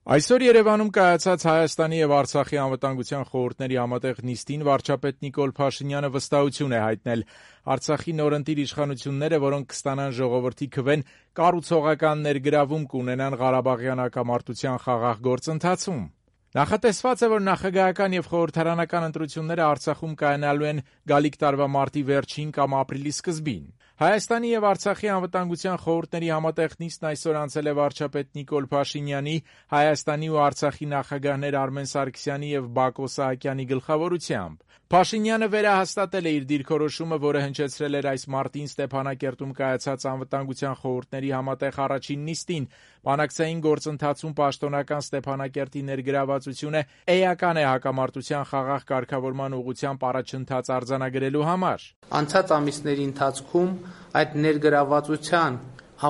Այսօր Երևանում կայացած Հայաստանի եւ Արցախի անվտանգության խորհուրդների համատեղ նիստին վարչապետ Նիկոլ Փաշինյանը վստահություն է հայտնել. Արցախի նորընտիր իշխանությունները, որոնք կստանան ժողովրդի քվեն, կառուցողական ներգրավում կունենան Ղարաբաղյան հակամարտության խաղաղ գործընթացում։ Նախատեսված է, որ նախագահական եւ խորհրդարանական ընտրությունները Արցախում կայանալու են գալիք տարվա մարտի վերջին կամ ապրիլի սկզբին։ Հայաստանի եւ Արցախի անվտանգության խորհուրդների համատեղ նիստն այսօր անցել է վարչապետ Նիկոլ Փաշինյանի, Հայաստանի ու Արցախի նախագահներ Արմեն Սարգսյանի եւ Բակո Սահակյանի գլխավորությամբ։ Փաշինյանը վերահաստատել է իր դիրքորոշումը, որը հնչեցրել էր այս մարտին Ստեփանակերտում կայացած անվտանգության խորհուրդների համատեղ առաջին նիստին։ Բանակցային գործընթացում պաշտոնական Ստեփանակերտի ներգրավվածությունը էական է հակամարտության խաղաղ կարգավորման ուղղությամբ առաջընթաց արձանագրելու համար։ Անցած ամիսների ընթացքում այդ ներգրավվածության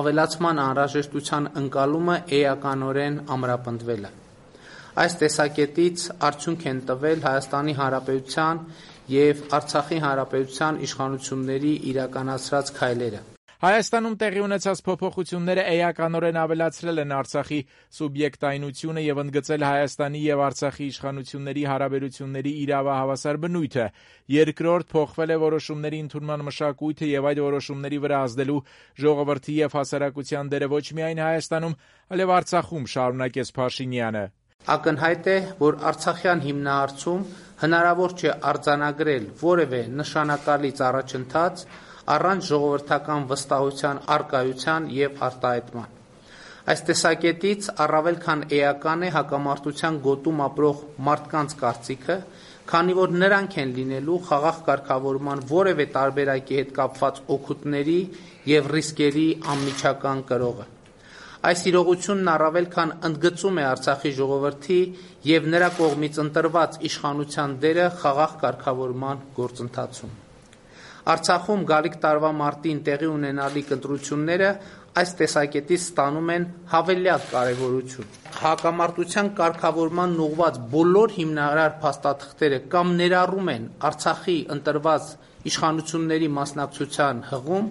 ավելացման անհրաժեշտության ընկալումը էականորեն ամրապնդվել է։ Այս տեսակետից արդյունք են տվել Հայաստանի Հանրապետության եւ Արցախի Հանրապետության իշխանությունների իրականացրած քայլերը։ Հայաստանում տեղի ունեցած փոփոխությունները էականորեն ավելացրել են Արցախի սուբյեկտայնությունը եւ ընդգծել Հայաստանի եւ Արցախի իշխանությունների հարաբերությունների իրավահավասար բնույթը։ Երկրորդ, փոխվել է որոշումների ընդունման մշակույթը եւ այդ որոշումների վրա ազդելու ժողովրդի եւ հասարակության դերը ոչ միայն Հայաստանում, այլև Արցախում, շարունակեց Փաշինյանը։ Ակնհայտ է, որ Արցախյան հիմնահարցում հնարավոր չէ արձանագրել որևէ նշանակալից առաջընթաց առանց ժողովրդական վստահության առկայության եւ արտահայտման։ Այս տեսակետից առավել քան էական է հակամարտության գոտում ապրող մարդկանց կարծիքը, քանի որ նրանք են լինելու խաղաղ կարգավորման որևէ տարբերակի հետ կապված օգուտների եւ ռիսկերի անմիջական կրողը։ Այս իրողությունն առավել քան ընդգծում է Արցախի ժողովրդի եւ նրա կողմից ընտրված իշխանության դերը խաղաղ կարգավորման գործընթացում։ Արցախում գալիք տարվա մարտին տեղի ունենալիք ընտրությունները այս տեսակետից ստանում են հավելյալ կարևորություն։ Հակամարտության կարգավորման ուղղված բոլոր հիմնարար փաստաթղթերը կամ ներառում են Արցախի ընտրված իշխանությունների մասնակցության հղում,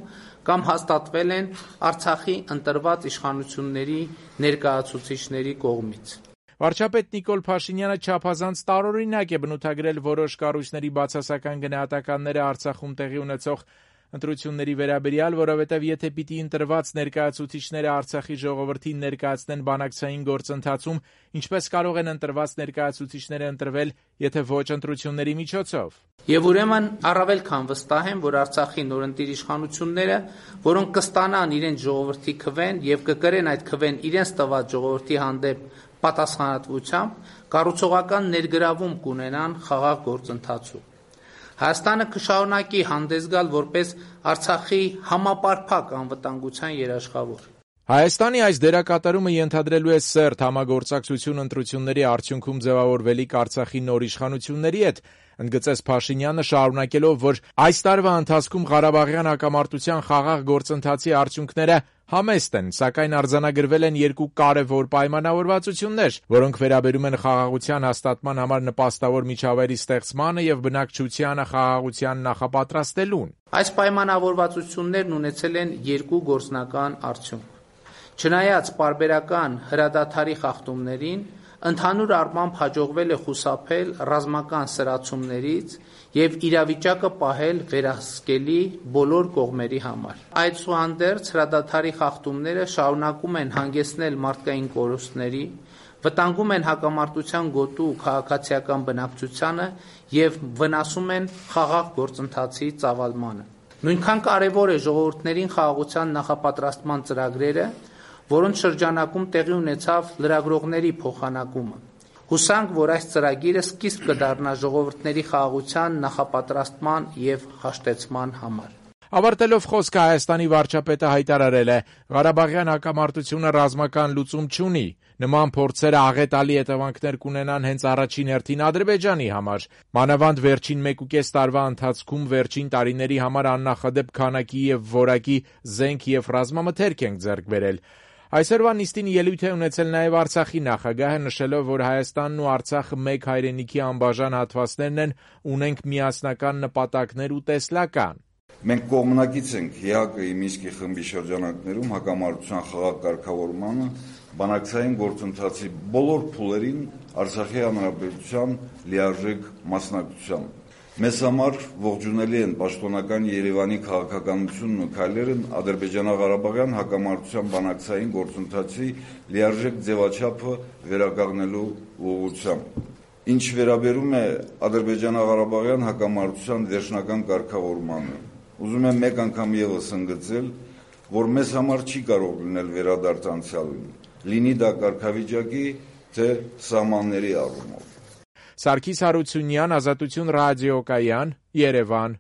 կամ հաստատվել են Արցախի ընտրված իշխանությունների ներկայացուցիչների կողմից։ Վարչապետ Նիկոլ Փաշինյանը չափազանց տարօրինակ է բնութագրել որոշ կառույցների բացասական գնահատականները Արցախում տեղի ունեցող ընտրությունների վերաբերյալ, որովհետև եթե պիտի ընտրված ներկայացուցիչները Արցախի ժողովրդին ներկայացնեն բանակցային գործընթացում, ինչպես կարող են ընտրված ներկայացուցիչները ընտրվել, եթե ոչ ընտրությունների միջոցով։ Եվ ուրեմն առավել քան վստահ եմ, որ Արցախի նորընտիր իշխանությունները, որոնք կստանան իրենց ժողովրդի քվեն եւ կկրեն այդ քվեն իրենց տված ժողովրդի հանդեպ պատասխանատվությամբ, կառուցողական ներգրավում կունենան խաղաղ գործընթացում։ Հայաստանը կշարունակի հանդես գալ որպես Արցախի համապարփակ անվտանգության երաշխավոր։ Հայաստանի այս դերակատարումը ենթադրելու է սերտ համագործակցություն ընտրությունների արդյունքում ձևավորվելիք Արցախի նոր իշխանությունների հետ, ընդգծեց Փաշինյանը, շարունակելով, որ այս տարվա ընթացքում Ղարաբաղյան հակամարտության խաղաղ գործընթացի արդյունքները համեստ են, սակայն արձանագրվել են երկու կարևոր պայմանավորվածություններ, որոնք վերաբերում են խաղաղության հաստատման համար նպաստավոր միջավայրի ստեղծմանը եւ բնակչությանը խաղաղության նախապատրաստելուն։ Այս պայմանավորվածություններն ունեցել են երկու գործնական արդյունք։ Չնայած պարբերական հրադադարի խախտումներին, ընդհանուր առմամբ հաջողվել է խուսափել ռազմական սրացումներից եւ իրավիճակը պահել վերահսկելի բոլոր կողմերի համար։ Այդուհանդերձ հրադադարի խախտումները շարունակում են հանգեցնել մարդկային կորուստների, վտանգում են հակամարտության գոտու քաղաքացիական բնակչությանը եւ վնասում են խաղաղ գործընթացի ծավալմանը։ Նույնքան կարևոր է ժողովուրդներին խաղաղության նախապատրաստման ծրագրերը, որոնց շրջանակում տեղի ունեցավ լրագրողների փոխանակումը։ Հուսանք, որ այս ծրագիրը սկիզբ կդառնա ժողովուրդների խաղաղության նախապատրաստման եւ հաշտեցման համար։ Ավարտելով խոսքը Հայաստանի վարչապետը հայտարարել է. Ղարաբաղյան հակամարտությունը ռազմական լուծում չունի։ Նման փորձերը աղետալի հետևանքներ կունենան հենց առաջին հերթին Ադրբեջանի համար։ Մանավանդ վերջին 1.5 տարվա ընթացքում վերջին տարիների համար աննախադեպ քանակի եւ որակի զենք եւ ռազմամթերք ենք ձեռք բերել։ Այսօրվա նիստին ելույթ է ունեցել նաև Արցախի նախագահը, նշելով, որ Հայաստանն ու Արցախը մեկ հայրենիքի անբաժան հատվածներն են, ունենք միասնական նպատակներ ու տեսլական։ Մենք կողմնակից ենք ՀԱԿ-ի Մինսկի խմբի շրջանակներում հակամարտության խաղաղ կարգավորմանը բանակցային գործընթացի բոլոր փուլերին Արցախի հանրապետության լիարժեք մասնակցությամբ։ Մեզ համար ողջունելի են պաշտոնական Երևանի քաղաքականությունն ու քայլերն Ադրբեջանա-Ղարաբաղյան հակամարտության բանակցային գործընթացի լիարժեք ձևաչափը վերականգնելու ուղղությամբ։ Ինչ վերաբերում է Ադրբեջանա-Ղարաբաղյան հակամարտության վերջնական կարգավորմանը, ուզում եմ մեկ անգամ ևս ընդգծել, որ մեզ համար չի կարող լինել վերադարձ անցյալին, լինի դա կարգավիճակի, թե սահմանների առումով։ Սարգիս Հարությունյան, Ազատություն ռադիոկայան, Երևան։